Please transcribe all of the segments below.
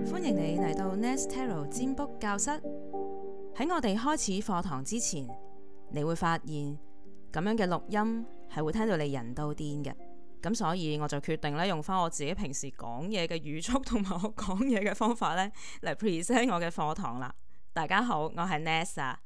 歡迎你嚟到 Nest Tarot 占卜教室。喺我哋開始課堂之前，你會發現咁樣嘅錄音係會聽到你人都癲嘅。咁所以我就決定咧用翻我自己平時講嘢嘅語速同埋我講嘢嘅方法咧嚟 present 我嘅課堂啦。大家好，我係 Nest 啊。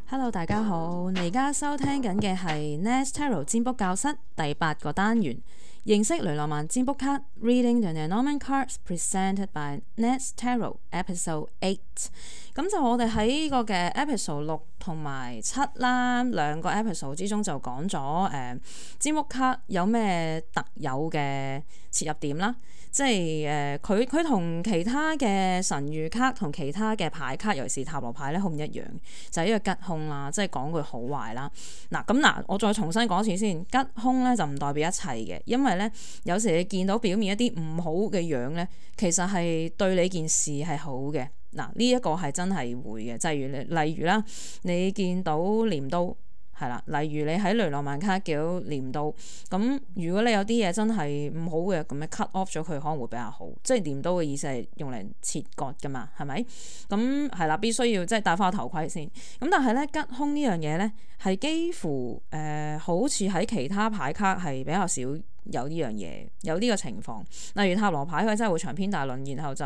Hello， 大家好，你而家收聽緊嘅係 Nest Tarot 占卜教室第8個單元，認識雷諾曼占卜卡 Reading the Lenormand Cards Presented by Nest Tarot Episode 8。咁就我哋喺呢個嘅 Episode 6同埋7啦，兩個 Episode 之中就講咗占卜卡有咩特有嘅切入點啦。即係佢同其他嘅神諭卡同其他嘅牌卡，尤其是塔羅牌咧，好唔一樣，就係呢個吉凶啦，即係講句好壞啦。嗱，我再重新講一次先，吉凶咧就唔代表一切嘅，因為咧有時你見到表面一啲唔好嘅樣咧，其實係對你件事係好嘅。呢一個係真係會嘅，例如啦，你見到鐮刀。係啦，例如你喺雷諾曼卡叫鐮刀，咁如果你有啲嘢真係唔好嘅，咁樣 cut off 咗佢可能會比較好。即係鐮刀嘅意思係用嚟切割噶嘛，係咪？咁係啦，必須要即係戴翻個頭盔先。咁但係咧吉凶呢樣嘢咧係幾乎好似喺其他牌卡係比較少有呢樣嘢，有呢個情況。例如塔羅牌佢真係會長篇大論，然後就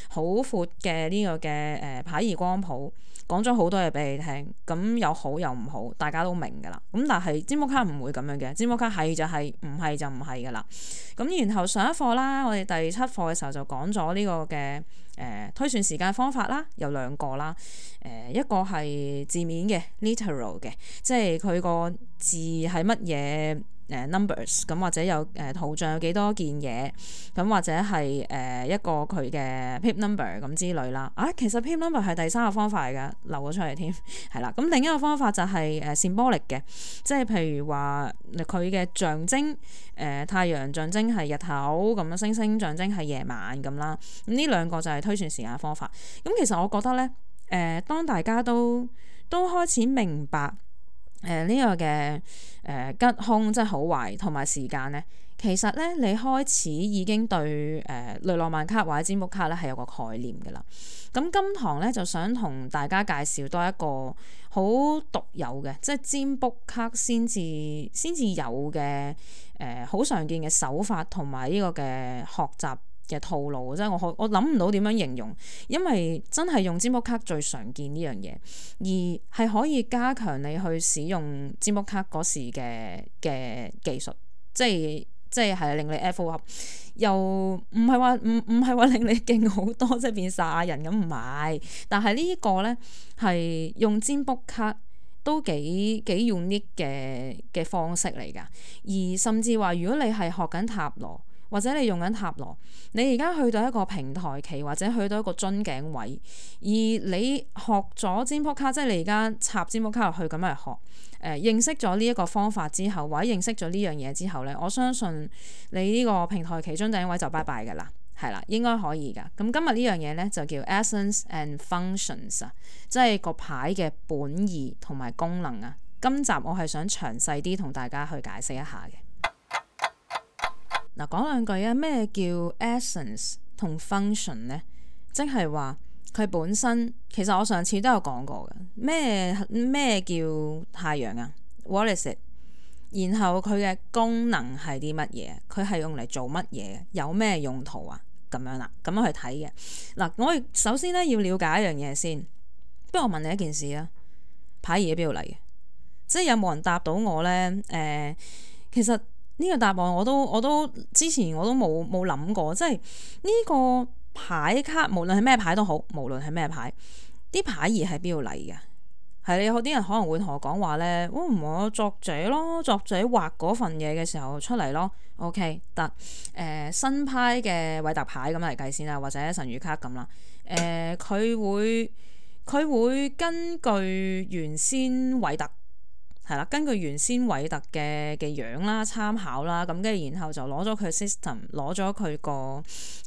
好闊嘅呢個嘅牌義光譜。講咗好多嘢俾你聽，咁有好有唔好，大家都明噶啦。咁但係占卜卡唔會咁樣嘅，占卜卡係就係，唔係就唔係噶啦。咁然後上一課啦，我哋第7課嘅時候就講咗呢個嘅推算時間方法啦，有兩個啦。一個係字面嘅 literal 嘅，即係佢個字係乜嘢numbers， 咁或者有圖像有幾多件嘢，咁或者係一個佢嘅 pip number 咁之類啦。其實 pip number 係第3個方法嚟㗎，漏咗出嚟添，係啦。咁另一個方法就係symbolic 嘅，即係譬如話佢嘅象徵太陽象徵係日頭咁樣，星星象徵係夜晚咁啦。咁呢兩個就係推算時間方法。咁其實我覺得咧，當大家都開始明白呢個嘅吉凶即係好壞同埋時間咧，其實咧你開始已經對雷諾曼卡或者占卜卡咧係有個概念㗎啦。咁今堂咧就想同大家介紹多一個好獨有嘅，即係占卜卡先至有嘅好常見嘅手法同埋呢個嘅學習嘅套路，即係我諗唔到點樣形容，因為真係用占卜卡最常見呢樣嘢，而係可以加強你去使用占卜卡嗰時嘅技術，即係令你 F 合，又唔係話令你勁好多，即係變曬人咁唔係，但係呢個咧係用占卜卡都幾 unique 嘅方式嚟㗎，而甚至話如果你係學緊塔羅。或者你用緊塔羅，你而家去到一個平台期，或者去到一個樽頸位，而你學咗占卜卡，即係你而家插占卜卡落去咁嚟學，認識咗呢一個方法之後，或者認識咗呢樣嘢之後咧，我相信你呢個平台期樽頸位就拜拜㗎啦，係啦，應該可以㗎。咁今日呢樣嘢咧就叫 Essence and Functions 啊，即係個牌嘅本意同埋功能啊。今集我係想詳細啲同大家去解釋一下嘅。講兩句啊，咩叫 essence 同 function 呢？即係話佢本身，其實我上次都有講過嘅。咩叫太陽啊 ？What is it？ 然後佢嘅功能係啲乜嘢？佢係用嚟做乜嘢？有咩用途啊？咁樣啦，咁樣去睇嘅。我首先咧要了解一樣嘢先。不如我問你一件事啊，牌義喺邊度嚟嘅？即係有冇人答到我呢？其實。呢個答案我都之前我都冇諗過，即係呢個牌卡無論係咩牌都好，無論係咩牌，啲牌義係邊度嚟嘅？係你有啲人可能會同我講話咧，唔係我作者咯，作者畫嗰份嘢嘅時候出嚟咯。OK 得，新派嘅韋特牌咁嚟計先啦，或者神諭卡咁啦。佢會根據原先韋特。係啦，根據原先韋特嘅樣啦、參考啦，咁跟住然後就攞咗佢 system， 攞咗佢個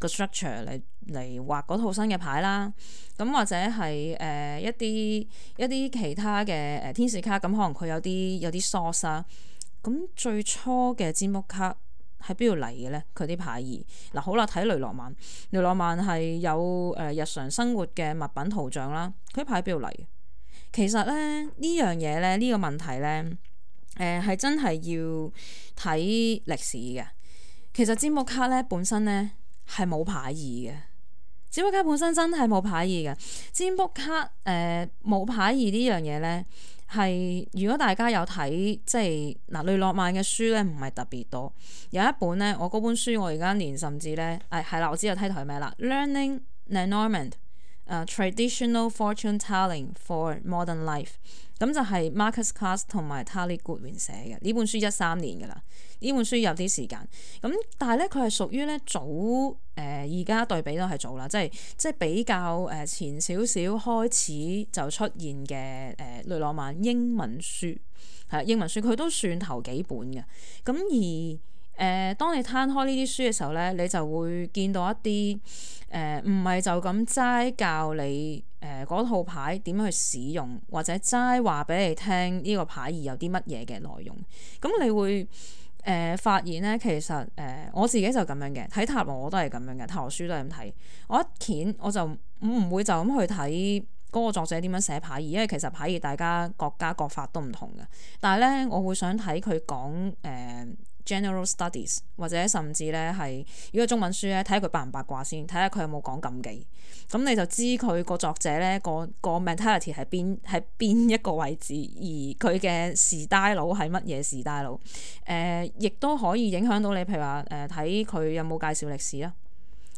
structure 嚟畫嗰套新嘅牌啦。咁或者係一啲其他嘅天使卡，咁可能佢有啲 source 啊。咁最初嘅占卜卡喺邊度嚟嘅咧？佢啲牌意嗱，好啦，睇雷諾曼，雷諾曼係有日常生活嘅物品圖像啦，佢啲牌邊度嚟？其實咧呢樣嘢咧，呢個問題咧，係真係要睇歷史嘅。其實占卜卡咧本身咧係冇牌意嘅，占卜卡本身真係冇牌意嘅。占卜卡冇牌意呢樣嘢咧，係如果大家有睇即係嗱雷諾曼嘅書咧，唔係特別多。有一本咧，我嗰本書我而家連甚至咧係啦，我知道梯台係咩啦，Learning Lenormand。Traditional Fortune Telling for Modern Life， 咁就係 Marcus Carr 同埋 Tali Goodwin 寫嘅。呢本書13年㗎啦，呢本書有啲時間。咁但係咧，佢係屬於咧早而家對比都係早啦，即係比較前少少開始就出現嘅雷諾曼英文書係英文書，佢都算頭幾本嘅。咁而當你攤開呢啲書嘅時候咧，你就會見到一啲唔係就咁齋教你嗰套牌點樣去使用，或者齋話俾你聽呢個牌意有啲乜嘢嘅內容。咁你會發現咧，其實我自己就咁樣嘅，睇塔羅我都係咁樣嘅，塔羅書都係咁睇。我一掀我就唔會就咁去睇嗰個作者點樣寫牌意，因為其實牌意大家各家各法都唔同嘅。但係咧，我會想睇佢講General Studies， 或者甚至咧係如果中文書咧，睇下佢八唔八卦先，睇下佢有冇講禁忌，咁你就知佢個作者咧個 mentality 係邊一個位置，而佢嘅style係乜嘢style，亦都可以影響到你，譬如話睇佢有冇介紹歷史啦。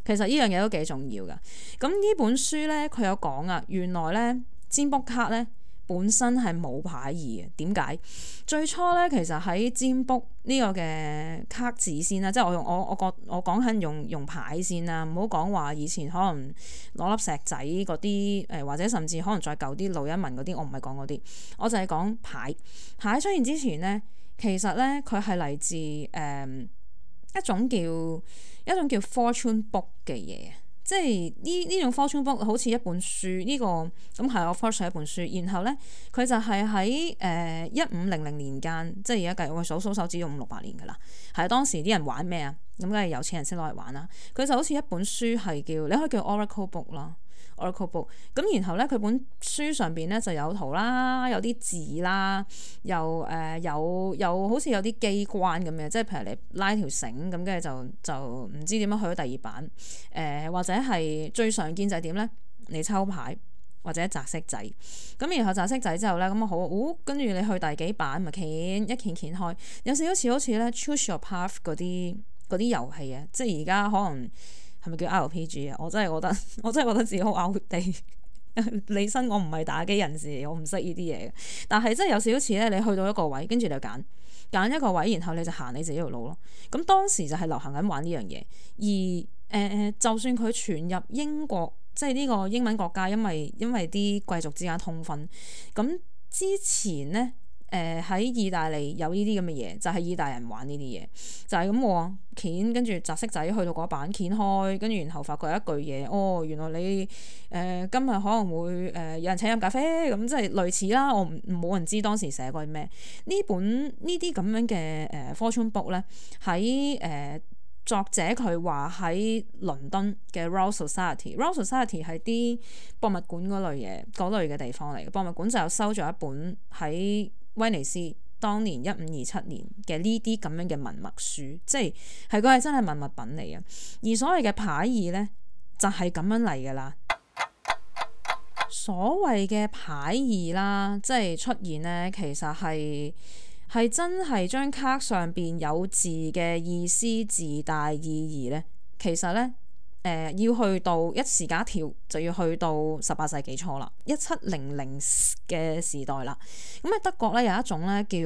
其實呢樣嘢都幾重要㗎。咁呢本書咧佢有講啊，原來咧占卜卡咧本身係冇牌意嘅。點解？最初咧，其實喺占卜呢個嘅卡紙先啦，即係我講緊用牌先啦，唔好講話以前可能攞粒石仔嗰啲或者甚至可能再舊啲路一文嗰啲，我唔係講嗰啲，我就係講牌。牌出現之前咧，其實咧佢係嚟自一種叫 fortune book 嘅嘢。即係呢種 fortune book 好似一本書，呢個咁係我 first 一本書，然後咧佢就係喺1500年間，即係而家計我數手指用500-600年㗎啦。係當時啲人玩咩啊？咁梗係有錢人先攞嚟玩啦。佢就好似一本書係叫，你可以叫 Oracle book 啦。Oracle book 咁，然後咧佢本書上邊咧就有圖啦，有啲字啦，又好似有啲機關咁嘅，即係譬如你拉條繩咁，跟住就唔知點樣去到第二版或者係最常見就係點咧？你抽牌或者擲色仔咁，然後擲色仔之後咧咁好，跟住你去第幾版咪一掀開，有少少好似咧 Choose Your Path 嗰啲遊戲啊，即係而家可能。係咪叫 RPG 啊？我真係覺得自己好 out地。理身我唔係打機人士，我唔識呢啲嘢嘅。但係真係有少少似咧，你去到一個位，跟住你就揀一個位，然後你就行你自己條路咯。咁當時就係流行緊玩呢樣嘢。而就算佢傳入英國，即係呢個英文國家，因為啲貴族之間通婚，咁之前咧。喺意大利有呢啲咁嘅嘢，就係意大利人玩呢啲嘢，就係咁喎，鉗跟住擲色仔去到嗰版鉗開，跟住然後發覺一句嘢，哦，原來你今日可能會有人請飲咖啡咁，即係類似啦。我冇人知當時寫過啲咩。呢啲咁樣嘅fortune book 咧，喺作者佢話喺倫敦嘅 Royal Society 係啲博物館嗰類嘅地方嚟嘅。博物館就有收咗一本喺威尼斯當年1527年嘅呢啲咁樣嘅文物書，即係佢係真係文物品嚟嘅。而所謂嘅牌意咧，就係咁樣嚟㗎啦。所謂嘅牌意啦，即係出現咧，其實係真係張卡上邊有字嘅意思自帶意義咧。其實咧。要去到一時間一跳就要去到18世紀初啦，1700嘅時代啦。咁喺德國咧有一種咧叫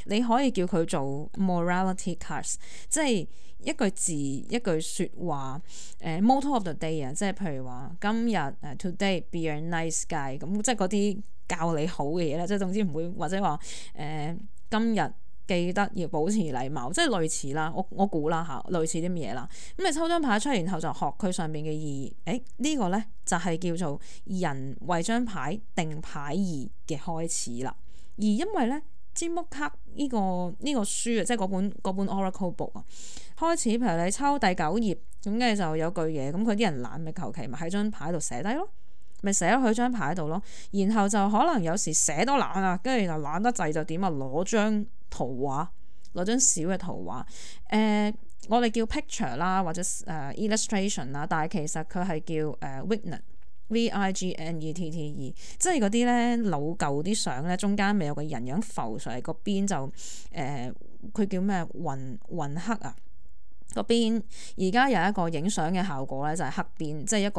你可以叫佢做 morality cards， 即係一句字一句説話motto of the day 啊，即係譬如話今日today be a nice guy 咁，即係嗰啲教你好嘅嘢咧，即係總之唔會或者話今日。記得要保持禮貌，即係類似啦。我估啦嚇，類似啲乜嘢啦。咁你抽張牌出嚟，然後就學佢上面嘅意義。呢個咧就係叫做人為張牌定牌意嘅開始啦。而因為咧占卜卡呢個書啊，即係嗰本 Oracle book 啊，開始譬如你抽第9頁，咁跟住就有句嘢，咁佢啲人懶咪求其咪喺張牌度寫低咯，咪寫咗佢張牌度咯，然後就可能有時寫都懶啊，跟住就懶得滯就點啊，攞張圖畫，攞張小嘅圖畫，我哋叫 picture 啦，或者illustration 啦，但係其實佢係叫Vignette，Vignette，即係嗰啲咧老舊啲相咧，中間咪有個人樣浮上嚟，個邊就佢叫咩雲黑啊，個邊而家有一個影相嘅效果咧，就係黑邊，即係一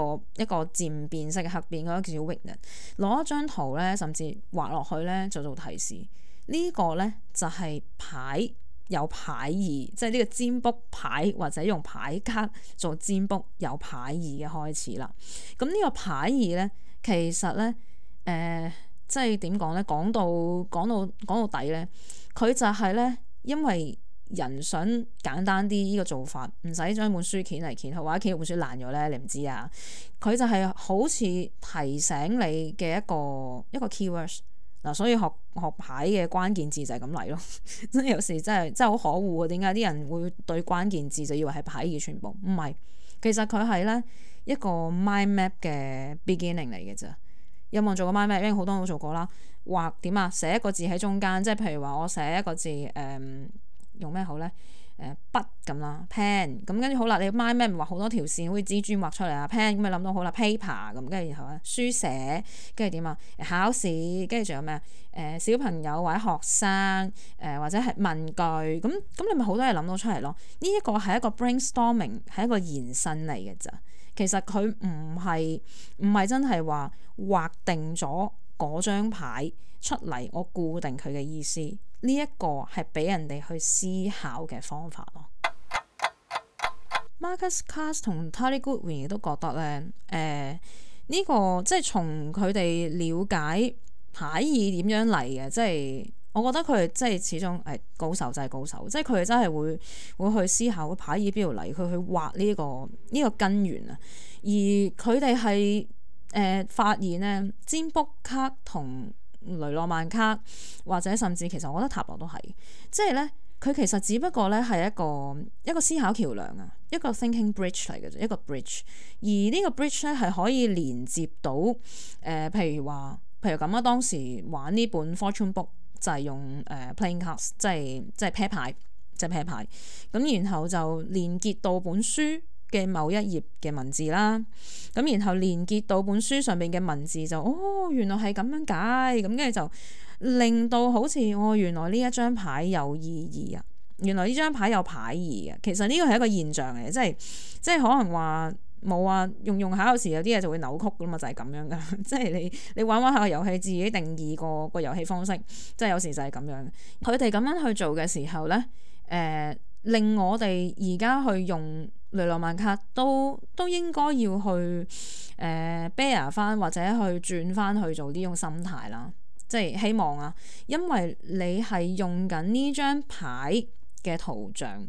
個漸變色嘅黑邊，嗰個叫 Vignette。攞一張圖咧，甚至畫落去咧，就做提示。呢個咧就係牌。有牌意，即係呢個占卜牌或者用牌卡做占卜有牌意嘅開始啦。咁呢個牌意咧，其實咧，即係點講咧？講到底咧，佢就係咧，因為人想簡單啲呢個做法，唔使將本書掀嚟掀去，或者掀本書爛咗咧，你唔知啊。佢就係好似提醒你嘅一個 keywords。嗱，所以學牌嘅關鍵字就係咁嚟咯，真係有時真係好可惡啊！點解啲人會對關鍵字就以為係牌嘅全部？唔係，其實佢係咧一個 mind map 嘅 beginning 嚟嘅啫。有冇人做過 mind map？因為好多人都做過啦。畫點啊？寫一個字喺中間，即係譬如話我寫一個字，用咩好咧？筆咁啦 pen 咁跟住好啦，你 mind map 咪畫好多條線，好似蜘蛛畫出嚟啊 pen 咁咪諗到好啦 paper 咁，跟住然後咧書寫，跟住點啊考試，跟住仲有咩小朋友或者學生或者係文具咁你咪好多嘢諗到出嚟咯。呢一個係一個 brainstorming， 係一個延伸嚟嘅咋。其實佢唔係真係話畫定咗嗰張牌出嚟，我固定佢嘅意思。呢一個係俾人哋去思考嘅方法咯。Marcus Carr 同 Tali Goodwin 亦都覺得咧，呢個即係從佢哋了解牌意點樣嚟嘅，即係我覺得佢哋即係始終係高手就係高手，即係佢哋真係會去思考個牌意邊度嚟，佢去畫呢個根源啊。而佢哋係發現咧，占卜卡同雷諾曼卡或者甚至其實我覺得塔羅都係，即係咧佢其實只不過咧係一個思考橋梁啊，一個 thinking bridge 嚟嘅啫，一個 bridge。而呢個 bridge 咧係可以連接到譬如咁啊，當時玩呢本 fortune book 就係用playing cards，即係啤牌，即係啤牌。咁然後就連結到本書嘅某一頁嘅文字啦，咁然後連結到本書上面嘅文字就原來係咁樣解，咁跟住就令到好似原來呢一張牌有意義啊，原來呢張牌有牌意啊。其實呢個係一個現象嚟嘅，即係可能話冇啊，用下有時有啲嘢就會扭曲噶嘛，就係咁樣噶，即係你玩下個遊戲，自己定義個遊戲方式，即係有時就係咁樣。佢哋咁樣去做嘅時候咧，令我哋而家去用雷諾曼卡都應該要去bear 翻或者去轉翻去做呢種心態啦，即係希望啊，因為你係用緊呢張牌嘅圖像，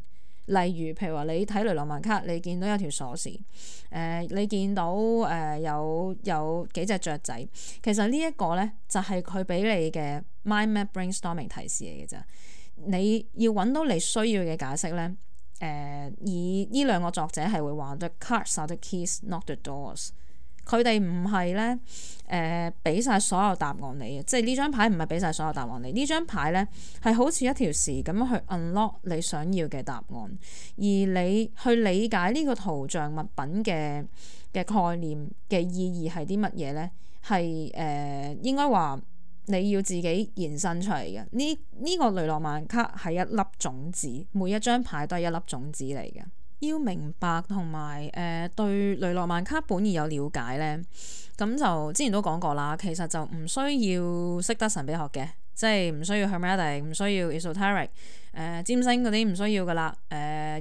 例如譬如話你睇雷諾曼卡，你見到有條鎖匙，你見到有幾隻雀仔，其實呢一個咧就係佢俾你嘅 mind map brainstorming 提示嚟嘅啫。你要揾到你需要嘅解釋咧，而呢兩個作者係會話 The cards are the keys, not the doors。佢哋唔係咧俾晒所有答案你嘅，即係呢張牌唔係俾晒所有答案你。呢張牌咧係好似一條匙咁樣去 unlock 你想要嘅答案，而你去理解呢個圖像物品嘅概念嘅意義係啲乜嘢咧？係應該話。你要自己延伸出嚟嘅呢個雷諾曼卡係一粒種子，每一張牌都係一粒種子嚟嘅。要明白同埋對雷諾曼卡本意有了解咧，咁就之前都講過啦。其實就唔需要識得神秘學嘅，即係唔需要 Hermetic， 唔需要 Esoteric， 占星嗰啲唔需要噶啦。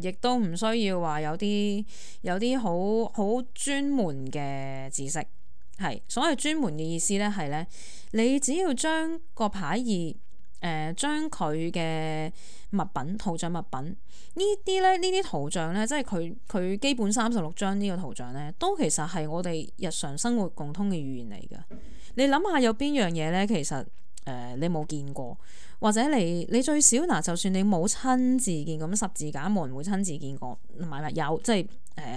亦都唔需要話有啲好專門嘅知識。係，所謂專門嘅意思咧，係咧，你只要將個牌意，將佢嘅物品、圖像物品呢啲圖像咧，即係佢基本36張呢個圖像咧，都其實係我哋日常生活共通嘅語言嚟㗎。你諗下有邊樣嘢咧，其實你冇見過，或者你最少嗱，就算你冇親自見咁十字架，冇人會親自見過，唔係有即係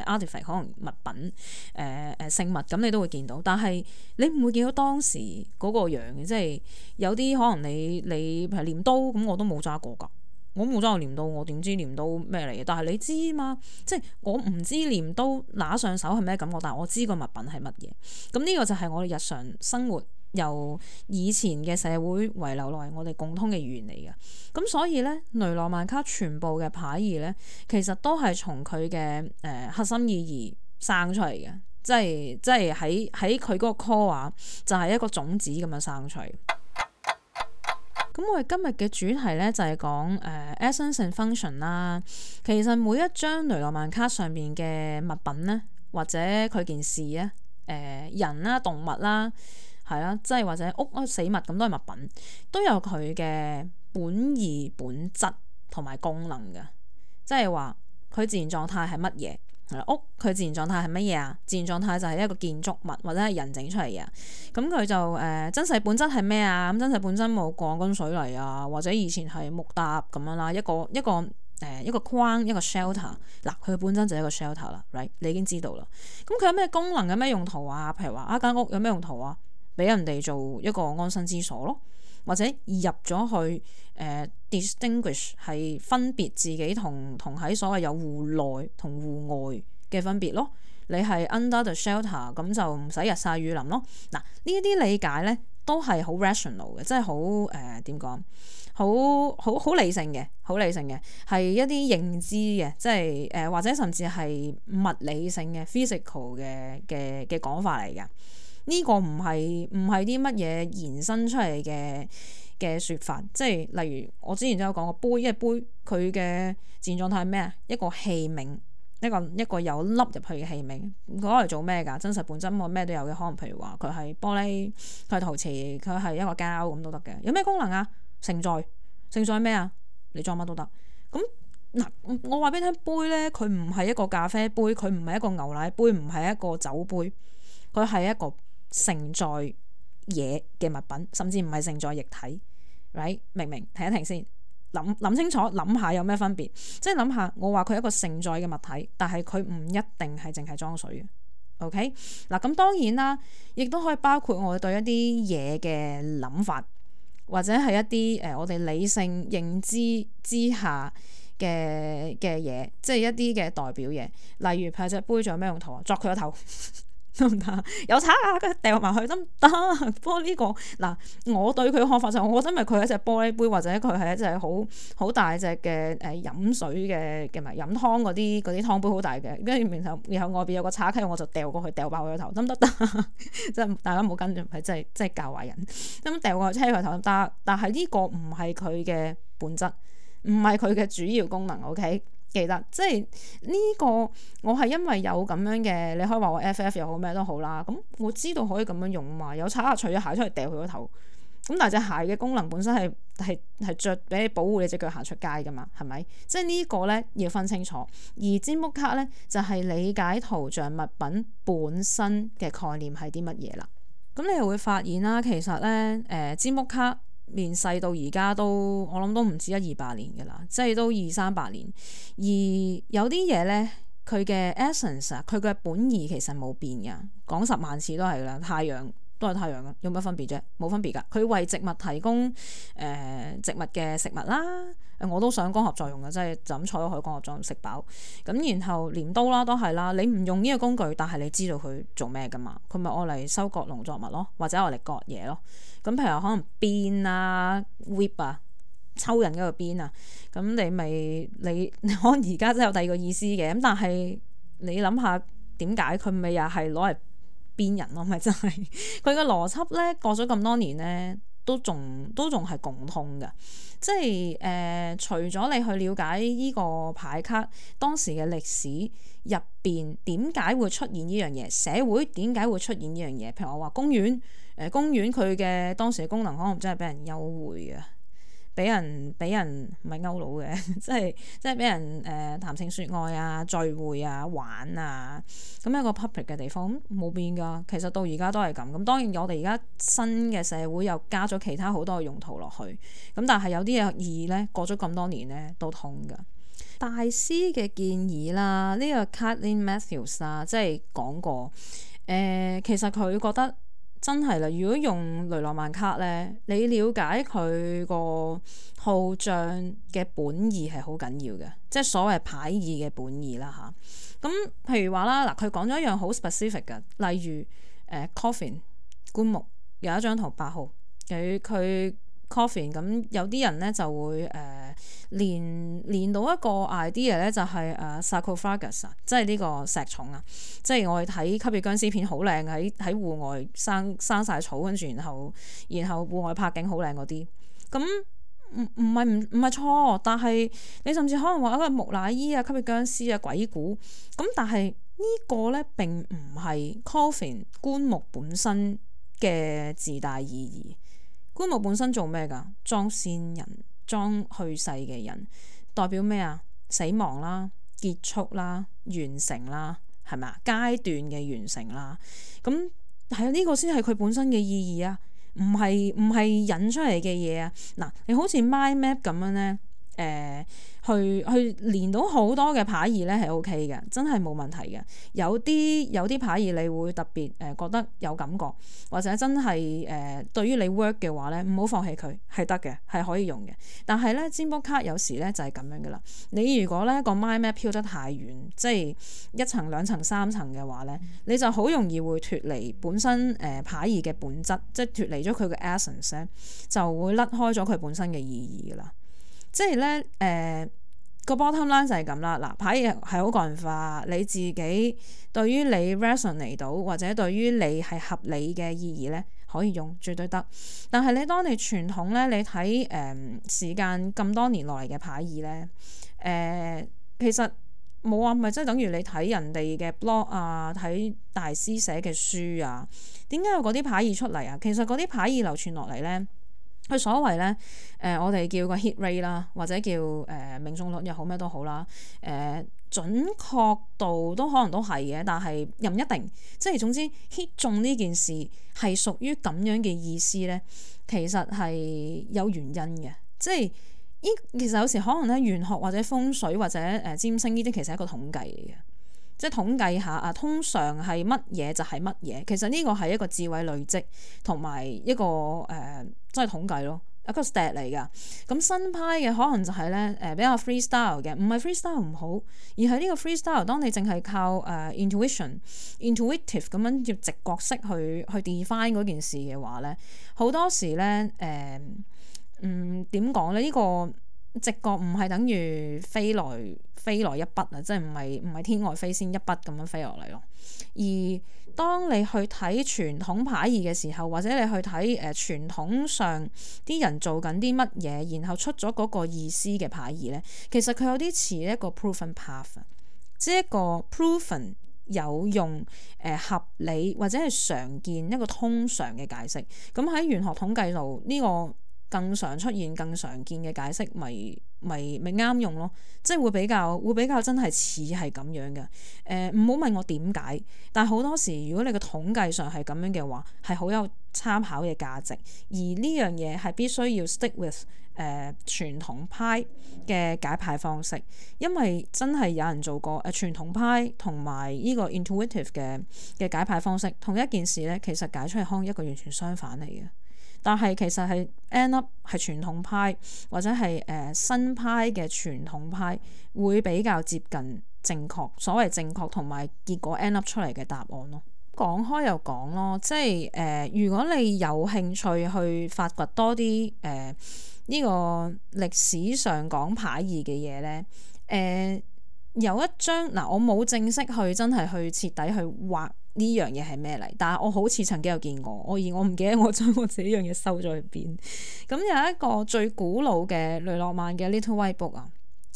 artifact 可能物品聖物咁，你都會見到，但係你唔會見到當時嗰個樣嘅，即係有啲可能你譬如鐮刀咁，我都冇揸過㗎。我冇揸過鐮刀，我點知鐮刀咩嚟嘅？但係你知嘛？即係我唔知鐮刀拿上手係咩感覺，但係我知個物品係乜嘢。咁呢個就係我哋日常生活由以前嘅社會遺留落嚟，我哋共通嘅語言嚟嘅。咁所以咧，雷諾曼卡全部嘅牌義咧，其實都係從佢嘅核心意義生出嚟嘅，即係喺佢嗰個 core 啊，就係一個種子咁樣生出嚟。咁我哋今日嘅主題咧就係講essence and function 啦。其實每一張雷諾曼卡上面嘅物品咧，或者佢件事咧，人啦、動物啦，係啦，即係或者屋死物咁都係物品，都有佢嘅本意、本質同埋功能嘅。即係話佢自然狀態係乜嘢？屋佢自然狀態係乜嘢啊？自然狀態就係一個建築物或者係人整出嚟嘅。咁佢就真實本質係咩啊？咁真實本質冇鋼筋水泥啊，或者以前係木搭咁樣啦，一個框一個 shelter。嗱，佢嘅本身就係一個 shelter 啦 ，right？ 你已經知道啦。咁佢有咩功能？有咩用途啊？譬如話間屋有咩用途啊？俾人哋做一個安身之所咯，或者入咗去distinguish 係分別自己同喺所謂有戶內同戶外嘅分別咯。你係 under the shelter 咁就唔使日曬雨淋咯。嗱，呢一啲理解咧都係好 rational 嘅，即係好點講，好理性嘅，好理性嘅係一啲認知嘅，即係或者甚至係物理性嘅 physical 嘅講法嚟㗎。呢個唔係啲乜嘢延伸出嚟嘅説法，即係例如我之前都有講過杯，因為杯佢嘅自然狀態係咩啊？一個器皿，一個有凹入去嘅器皿，攞嚟做咩㗎？真實本質我咩都有嘅，可能譬如話佢係玻璃，佢係陶瓷，佢係一個膠咁都得嘅。有咩功能啊？承載咩啊？你裝乜都得。咁嗱，我話俾你聽，杯咧佢唔係一個咖啡杯，佢唔係一個牛奶杯，唔係一個酒杯，佢係一個承載嘢嘅物品，甚至唔係承載液體 right？ 明唔明？停一停先，諗清楚，諗下有咩分別？即係諗下，我話佢係一個承載嘅物體，但係佢唔一定係淨係裝水嘅。OK 嗱，咁當然啦，亦都可以包括我哋對一啲嘢嘅諗法，或者係一啲我哋理性認知之下嘅嘢，即係一啲嘅代表嘢，例如譬如隻杯仲有咩用途啊？鑿佢個頭。得唔得？有叉啊！佢掉埋去得唔得？不過呢個嗱，我對佢嘅看法就係，我覺得咪佢係一隻玻璃杯，或者佢係一隻好大隻嘅飲水嘅咪飲湯嗰啲湯杯好大嘅，跟住然後外邊有個叉溪，我就掉過去，掉爆佢個頭，得唔得？即係大家唔好跟住，係真係教壞人。咁掉過去車佢頭得，但係呢個唔係佢嘅本質，唔係佢嘅主要功能。OK。記得即係呢個，我係因為有咁樣嘅，你可以話我 FF 又好咩都好啦。咁我知道可以咁樣用嘛，有拆下除咗鞋出嚟掉佢個頭。咁但係隻鞋嘅功能本身係着俾你保護你隻腳行出街噶嘛，係咪？即係呢個咧要分清楚。而占卜卡咧就係理解圖像物品本身嘅概念係啲乜嘢啦。咁你又會發現啦，其實咧占卜卡面世到而家都我諗都唔止100-200年嘅啦，即係都200-300年。而有啲嘢咧，佢嘅 essence 啊，佢嘅本意其實冇變嘅，講10萬次都係啦。太陽都係太陽嘅，有乜分別啫？冇分別㗎。佢為植物提供植物嘅食物啦。我都想光合作用嘅，即係就咁坐咗去光合作用食飽。咁然後鐮刀啦都係啦，你唔用呢個工具，但係你知道佢做咩㗎嘛？佢咪愛嚟收割農作物咯，或者愛嚟割嘢咯。咁譬如可能鞭啊、whip 啊、抽人嗰個鞭啊，咁你可能而家真係有第二個意思嘅。咁但係你諗下點解佢咪又係攞嚟鞭人咯？咪真係佢個邏輯咧，過咗咁多年咧，都仲係共通嘅。即係除咗你去了解呢個牌卡當時嘅歷史入邊點解會出現呢樣嘢，社會點解會出現呢樣嘢？譬如我話公園佢嘅當時嘅功能可能真係俾人幽會嘅，人唔係勾佬嘅，即係俾人談情説愛啊、聚會啊、玩啊，咁一個 public 嘅地方冇變㗎。其實到而家都係咁。咁當然我哋而家新嘅社會又加咗其他好多嘅用途落去，咁但係有啲嘢意義咧過咗咁多年咧都通㗎。大師嘅建議啦，呢個 Kathleen Matthews 啦，即係講過其實佢覺得。真係啦，如果用雷諾曼卡咧，你了解佢個號章嘅本意係好緊要嘅，即係所謂牌意嘅本意啦吓，咁譬如話啦，嗱佢講咗一樣好 specific 嘅，例如coffin 棺木有一張圖8號，佢 coffin 咁有啲人咧就會連到一個 idea 咧，就係sarcophagus 即係呢個石重啊，即係我哋睇吸血僵屍片好靚，喺戶外生晒草，跟住然後戶外拍景好靚嗰啲，咁唔係錯，但係你甚至可能話一個木乃伊啊、吸血僵屍啊、鬼故咁，但係呢個咧並唔係 coffin 棺木本身嘅自帶意義。棺木本身做咩㗎？裝先人。裝去世嘅人代表咩啊？死亡啦、結束啦、完成啦，係咪啊？階段嘅完成啦，咁係啊，呢個先係佢本身嘅意義啊，唔係引出嚟嘅嘢啊。嗱，你好似 mind map 咁樣咧，去連到好多嘅牌意咧係 OK 嘅，真係冇問題嘅。有啲牌意你會特別覺得有感覺，或者真係對於你 work 嘅話咧，唔好放棄佢，係得嘅，係可以用嘅。但係咧，占卜卡有時咧就係咁樣噶啦。你如果咧個 mind map 飄得太遠，即係1層、2層、3層嘅話咧，你就好容易會脫離本身牌意嘅本質，即係脫離咗佢嘅 essence 咧，就會甩開咗佢本身嘅意義噶啦。即係咧，個 bottom line 就係咁啦。嗱，牌係好個人化，你自己對於你 resonate 到或者對於你係合理嘅意義咧，可以用，絕對得。但係當你傳統咧，你睇時間咁多年落嚟嘅牌意咧，其實冇話咪即係等於你睇人哋嘅 blog 啊，睇大師寫嘅書啊，點解有嗰啲牌意出嚟啊？其實嗰啲牌意流傳落嚟咧。佢所謂咧，我哋叫個 hit rate 啦，或者叫命中率又好咩都好啦，準確度都可能都係嘅，但係又唔一定。即係總之 hit 中呢件事係屬於咁樣嘅意思咧，其實係有原因嘅。即係其實有時可能咧，玄學或者風水或者占星呢啲，其實係一個統計嚟嘅。即係統計下啊，通常係乜嘢就係乜嘢。其實呢個係一個智慧累積同埋一個即係統計咯，一個 stat 嚟㗎。咁新派嘅可能就係咧比較 freestyle 嘅，唔係 freestyle 唔好，而係呢個 freestyle 當你淨係靠intuitive 咁樣要直覺式去 define 嗰件事嘅話咧，好多時咧點講咧？呢個直覺唔係等於飛來一筆啊，即係唔係天外飛仙一筆咁樣飛落嚟咯。而當你去睇傳統牌意嘅時候，或者你去睇傳統上啲人做緊啲乜嘢，然後出咗嗰個意思嘅牌意咧，其實佢有啲似一個 proven path， 即係一個 proven 有用合理或者係常見一個通常嘅解釋。咁喺玄學統計度呢個更常出現、更常見嘅解釋，咪啱用咯，即係會比較真係似係咁樣嘅。唔好問我點解，但係好多時如果你個統計上係咁樣嘅話，係好有參考嘅價值。而呢樣嘢係必須要 stick with 傳統派嘅解牌方式，因為真係有人做過傳統派同埋呢個 intuitive 嘅解牌方式，同一件事咧，其實解出嚟可能一個完全相反嚟嘅。但係其實係 end up 係傳統派或者係新派嘅傳統派會比較接近正確，所謂正確同埋結果 end up 出嚟嘅答案咯。講開又講咯，即係如果你有興趣去發掘多啲呢個歷史上講牌意嘅嘢咧，有一張嗱，我冇正式去真係去徹底去畫呢樣嘢係咩嚟，但係我好似曾經有見過，而我唔記得我將我自己樣嘢收咗去邊。咁有一個最古老嘅雷諾曼嘅 Little White Book 啊，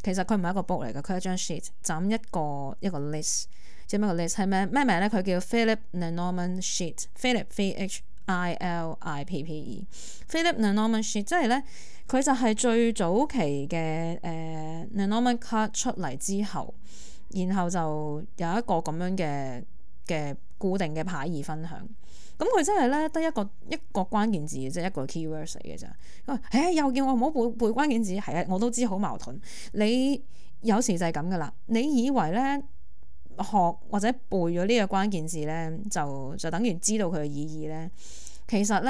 其實佢唔係一個 book 嚟嘅，佢係一張 sheet，就咁一個 list， 即係咩個 list 係咩名咧？佢叫 Philip Lenormand Sheet，Philip Philippe Philip Lenormand Sheet， 即係咧佢就係最早期嘅Lenormand card 出嚟之後，然後就有一個咁樣嘅固定嘅牌意分享。咁佢真係咧得一個關鍵字嘅啫，一個 keywords 嚟嘅咋。又叫我唔好背關鍵字，係啊，我都知好矛盾。你有時就係咁噶啦，你以為咧學或者背咗呢個關鍵字咧，就等於知道佢嘅意義咧。其實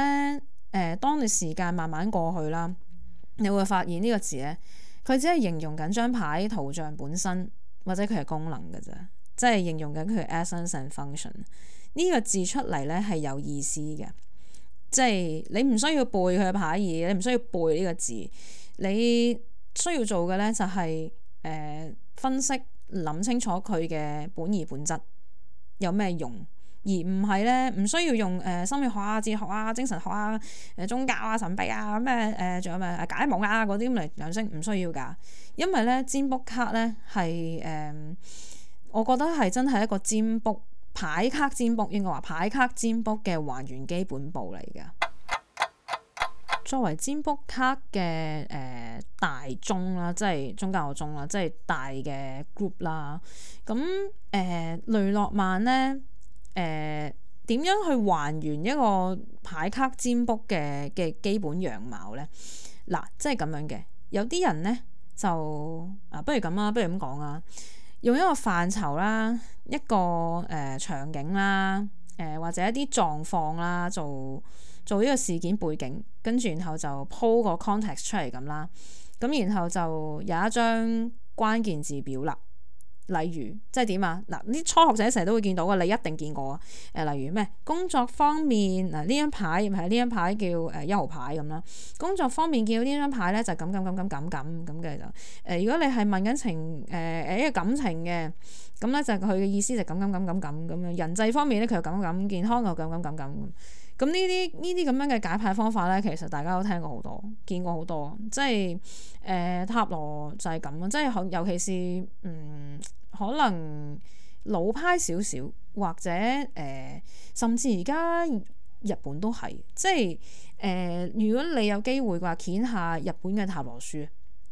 咧，當你時間慢慢過去啦，你會發現呢個字咧，佢只係形容緊張牌圖像本身或者佢係功能嘅啫，即係形容緊佢 essence and function。呢個字出嚟咧係有意思嘅，即係你唔需要背佢嘅牌意，你唔需要背呢個字，你需要做嘅咧就係分析諗清楚佢嘅本意本質有咩用，而唔係咧唔需要用心理學啊、哲學啊、精神學啊、宗教啊、神秘啊咩仲有咩解夢啊嗰啲咁嚟養生，唔需要㗎。因為咧占卜卡咧係我覺得係真係一個占卜牌卡占卜，應該話牌卡占卜嘅還原基本步嚟㗎。作為占卜卡嘅大宗啦，即係宗教宗啦，即係大嘅 group 啦。咁雷諾曼咧點樣去還原一個牌卡占卜嘅基本樣貌咧？嗱，即係咁樣嘅。有啲人咧就不如咁啦，不如咁講啊，用一個範疇啦，一個場景啦，或者一啲狀況啦，做呢個事件背景，跟住然後就鋪個 context 出嚟咁啦。咁然後就有一張關鍵字表啦。例如即係點啊？嗱，啲初學者成日都會見到嘅，你一定見過啊。例如咩工作方面嗱，呢張牌係呢張牌叫1號牌咁啦。工作方面見到呢張牌咧就咁嘅就如果你係問緊情一個感情嘅，咁咧就佢嘅意思就咁樣。人際方面咧佢又咁，健康又咁。咁呢啲咁樣嘅解牌方法咧，其實大家都聽過好多，見過好多，即係塔羅就係咁啊！即係尤其是可能老派少少，或者甚至而家日本都係，即係如果你有機會嘅話，掀下日本嘅塔羅書，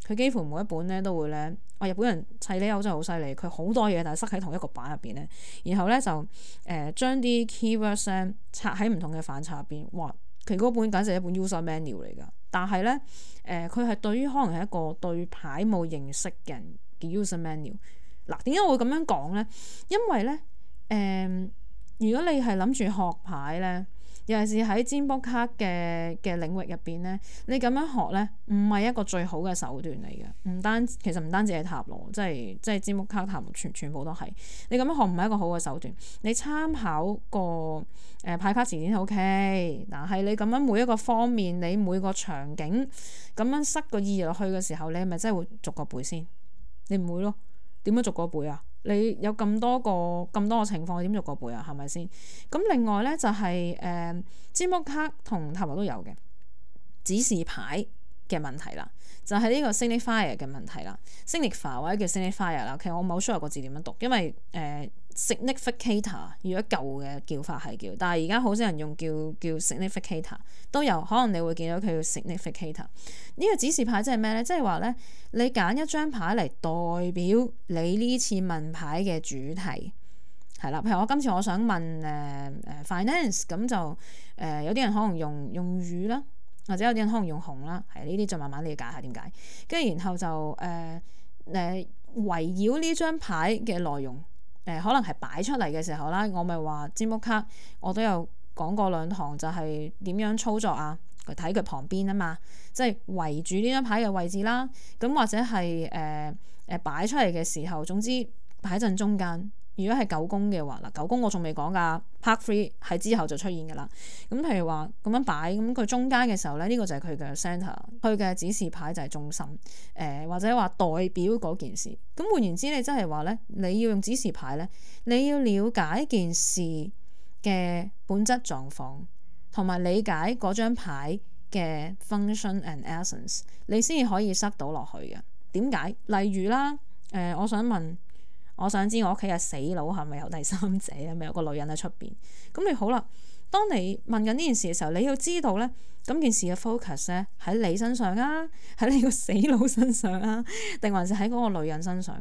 佢幾乎每一本咧都會咧，日本人砌呢口真係好犀利，佢好多嘢但係塞喺同一個版入邊咧，然後咧就將啲 keywords 咧拆喺唔同嘅範疇入邊，哇！佢嗰本簡直係一本 user manual 嚟㗎，但係咧佢係對於可能係一個對牌冇認識嘅人嘅 user manual。嗱，點解我會咁樣講咧？因為咧如果你係諗住學牌咧，尤其是喺占卜卡嘅領域入邊咧，你咁樣學咧，唔係一個最好嘅手段嚟嘅。其實唔單止係塔羅，即係占卜卡、塔羅全部都係。你咁樣學唔係一個好嘅手段。你參考個牌卡詞典 OK， 但係你咁樣每一個方面，你每個場景咁樣塞個意義落去嘅時候，你係咪真係會逐個背先？你唔會咯。點樣逐個背啊？你有咁多個情況，點逐個背啊？係咪先？咁另外咧就係占卜卡同塔羅都有嘅指示牌嘅問題啦，就係呢個 signifier 嘅問題啦。signifier 或者叫 signifier 啦，其實我冇 sure 個字點樣讀，因為significator 如果舊嘅叫法係叫，但係而家好少人用叫 significator 都有，可能你會見到佢叫 significator。呢個指示牌即係咩咧？即係話咧，你揀一張牌嚟代表你呢次問牌嘅主題係啦。譬如我今次我想問finance，咁就有啲人可能用魚啦，或者有啲人可能用紅啦，係呢啲就慢慢理解下點解。跟住然後就圍繞呢張牌嘅內容。可能係擺出嚟嘅時候啦，我咪話占卜卡，我都有講過2堂，就係點樣操作啊？佢睇佢旁邊啊嘛，即係圍住呢張牌嘅位置啦。咁或者係擺出嚟嘅時候，總之擺陣中間。如果係九宮嘅話，九宮我仲未講㗎 ，Part 3係之後就出現㗎啦。咁譬如話咁樣擺，咁佢中間嘅時候咧，呢個就係佢嘅 center，佢嘅指示牌就係中心，或者話代表嗰件事。咁換言之，你真係話咧，你要用指示牌咧，你要了解件事嘅本質狀況，同埋理解嗰張牌嘅 function and essence， 你先至可以塞到落去嘅。點解？例如啦，我想知我屋企嘅死佬係咪有第三者，係咪有個女人喺出邊？咁你好啦，當你問緊呢件事嘅時候，你要知道咧，咁件事嘅 focus 咧喺你身上啊，喺你個死佬身上啊，定還是喺嗰個女人身上？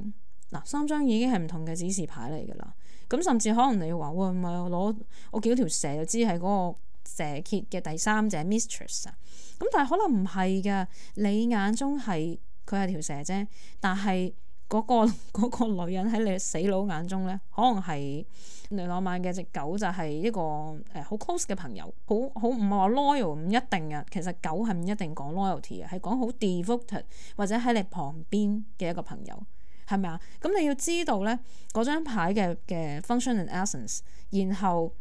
嗱，3張已經係唔同嘅指示牌嚟㗎啦。咁甚至可能你話，喂，唔係我見到條蛇就知係嗰個蛇蠍嘅第三者 mistress 啊。咁但係可能唔係㗎，你眼中係佢係條蛇啫，但係嗰個女人喺你死佬眼中咧，可能係雷諾曼嘅隻狗就係一個好 close 嘅朋友，好唔係話 loyal， 唔一定嘅。其實狗係唔一定講 loyalty 嘅，係講好 devoted 或者喺你旁邊嘅一個朋友，係咪啊？咁你要知道咧嗰張牌嘅 function and essence， 然後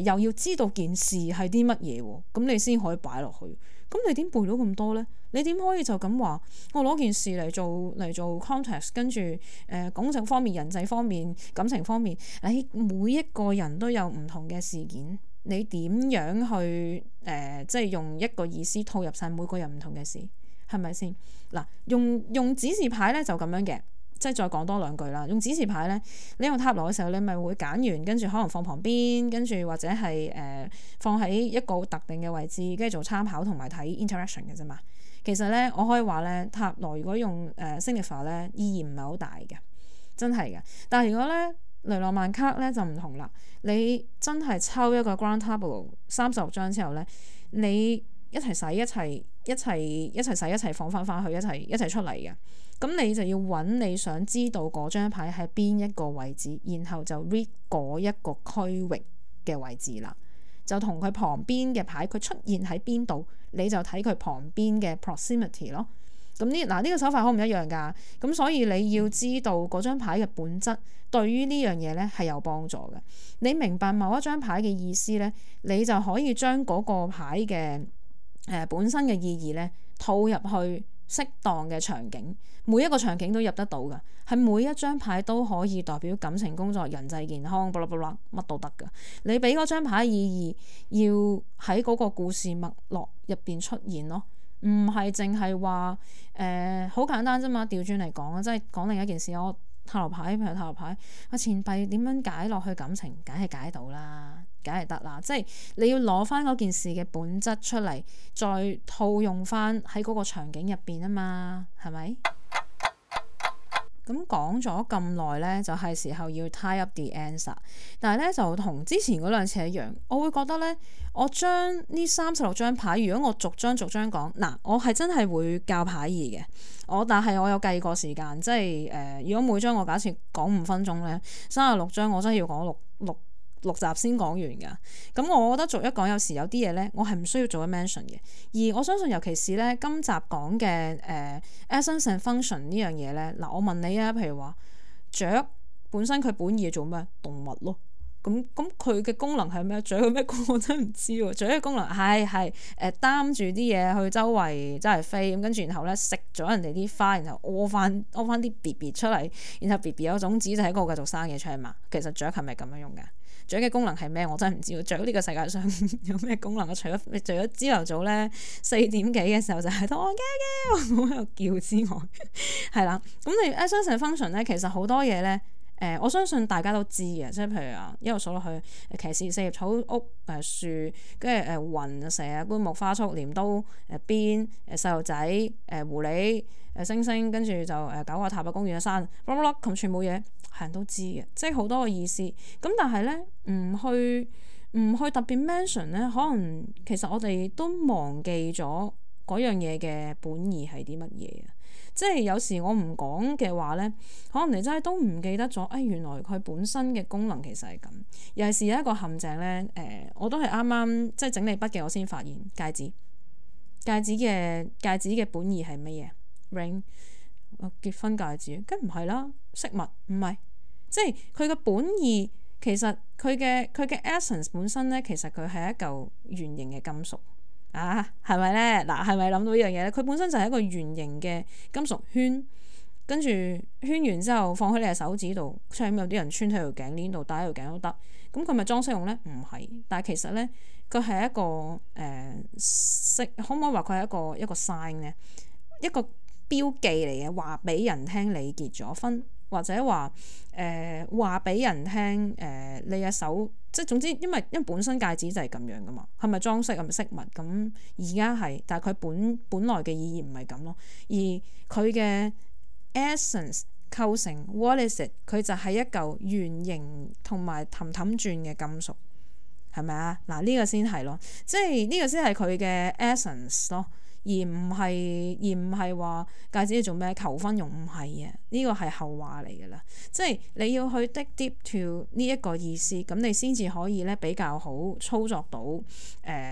又要知道件事係啲乜嘢喎，咁你先可以擺落去。咁你點背到咁多咧？你點可以就咁話我攞件事嚟做 context， 跟住感情方面、人際方面、感情方面，你每一個人都有唔同嘅事件，你點樣去即係用一個意思套入晒每個人唔同嘅事，係咪先？嗱，用指示牌咧就咁樣嘅。即係再講多兩句啦。用指示牌咧，你用塔羅嘅時候，你咪會揀完，跟住可能放旁邊，跟住或者係放喺一個特定嘅位置，跟住做參考同埋睇 interaction 嘅啫嘛。其實咧，我可以話咧，塔羅如果用signifier 咧，意義唔係好大嘅，真係嘅。但係如果咧雷諾曼卡咧就唔同啦，你真係抽一個 Grand Tableau 36張之後咧，你一齊洗一齊洗一齊放翻去一齊出嚟嘅。咁你就要揾你想知道嗰張牌喺邊一個位置，然後就 read 嗰一個區域嘅位置啦，就同佢旁邊嘅牌佢出現喺邊度，你就睇佢旁邊嘅 proximity 咯。咁呢個手法好唔一樣㗎。咁所以你要知道嗰張牌嘅本質，對於呢樣嘢咧係有幫助嘅。你明白某一張牌嘅意思咧，你就可以將嗰個牌嘅本身嘅意義咧套入去適當嘅場景，每一個場景都入得到㗎，係每一張牌都可以代表感情、工作、人際、健康，乜都得㗎。你俾嗰張牌意義，要喺嗰個故事脈絡入邊出現咯，唔係淨係話好簡單啫嘛。調轉嚟講啊，即係講另一件事。我塔羅牌譬如塔羅牌，我錢幣點樣解落去感情，梗係解到啦。梗係得啦，即係你要攞翻嗰件事嘅本質出嚟，再套用翻喺嗰個場景入邊啊嘛，係咪？咁講咗咁耐咧，就係時候要 tie up the answer。但係咧就同之前嗰兩次一樣，我會覺得咧，我將呢36張牌，如果我逐張講，嗱，我係真係會教牌義嘅。但係我有計過時間，即係如果每張我假設講5分鐘咧，36張我真係要講六集先講完㗎。咁我覺得逐一講，有時有啲嘢咧，我係唔需要做一 mention 嘅。而我相信，尤其是咧今集講嘅essence and function 呢樣嘢咧，嗱，我問你啊，譬如話雀本身佢本意係做咩？動物咯。咁佢嘅功能係咩？雀有咩功能我真係唔知喎。雀嘅功能係擔住啲嘢去周圍飛，咁跟住然後咧食咗人哋啲花，然後屙翻啲 BB 出嚟，然後 BB 有種子就喺嗰度繼續生嘢出嚟嘛。其實雀係咪咁樣用㗎？雀嘅功能係咩？我真係唔知喎。雀呢個世界上有咩功能？除咗朝頭早咧4點幾嘅時候就喺度我喺度叫之外，係啦。咁你 essence and function 咧，其實好多嘢咧，我相信大家都知嘅，即係譬如啊，一路數落去，騎士、四葉草、屋、樹，跟住雲、蛇、棺木、花束、鐮刀、鞭、細路仔、狐狸、星星，跟住就九個塔嘅公園嘅山，咁全部嘢係人都知嘅，即係好多個意思。咁但係咧，唔去特別 mention 咧，可能其實我哋都忘記咗嗰樣嘢嘅本意係啲乜嘢啊！即係有時我唔講嘅話咧，可能你真係都唔記得咗。原來佢本身嘅功能其實係咁。尤其是有一個陷阱咧，我都係啱啱即係整理筆記我先發現戒指嘅本意係乜嘢 ？ring 結婚戒指，梗唔係啦，飾物唔係，即係佢嘅本意其實佢嘅 essence 本身咧，其實佢係一嚿圓形嘅金屬。係咪咧？嗱，係咪諗到呢樣嘢咧？佢本身就係一個圓形嘅金屬圈，跟住圈完之後放喺你嘅手指度，出面有啲人穿喺條頸鏈度，戴喺條頸都得。咁佢咪裝飾用咧？唔係，但係其實咧，佢係一個可唔可以話佢係一個 sign 咧？一個標記嚟嘅，話俾人聽你結咗婚，或者話話俾人聽你嘅手，即係總之因為本身戒指就係咁樣噶嘛，係咪裝飾係咪飾物咁？而家係，但係佢本來嘅意義唔係咁咯，而佢嘅 essence 構成 what is it？ 佢就係一嚿圓形同埋氹氹轉嘅金屬，係咪啊？嗱，呢個先係咯，即係呢個先係佢嘅 essence 咯，而唔係話戒指做咩求婚用，唔係嘅，呢個係後話嚟㗎啦。即係你要去 dig deep to 呢一個意思，咁你先至可以咧比較好操作到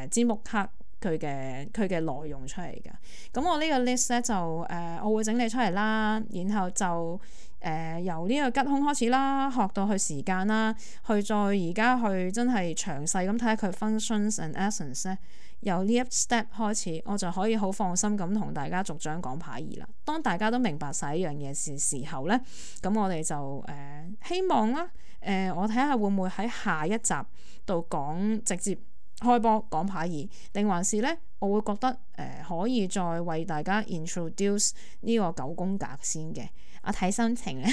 占卜卡佢嘅內容出嚟㗎。咁我呢個 list 咧就我會整理出嚟啦，然後就由呢個吉凶開始啦，學到去時間啦，去再而家去真係詳細咁睇下佢 functions and essence 咧。由呢一 step 開始，我就可以好放心咁同大家逐章講牌義啦。當大家都明白晒一樣嘢時候咧，咁我哋就希望啦，我睇下會唔會喺下一集度講直接開波講牌義，定還是咧我會覺得可以再為大家 introduce 呢個九宮格先嘅。我睇心情咧，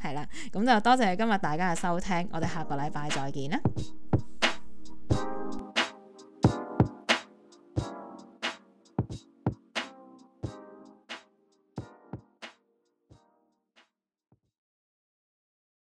係啦，咁就多謝今日大家嘅收聽，我哋下個禮拜再見啦。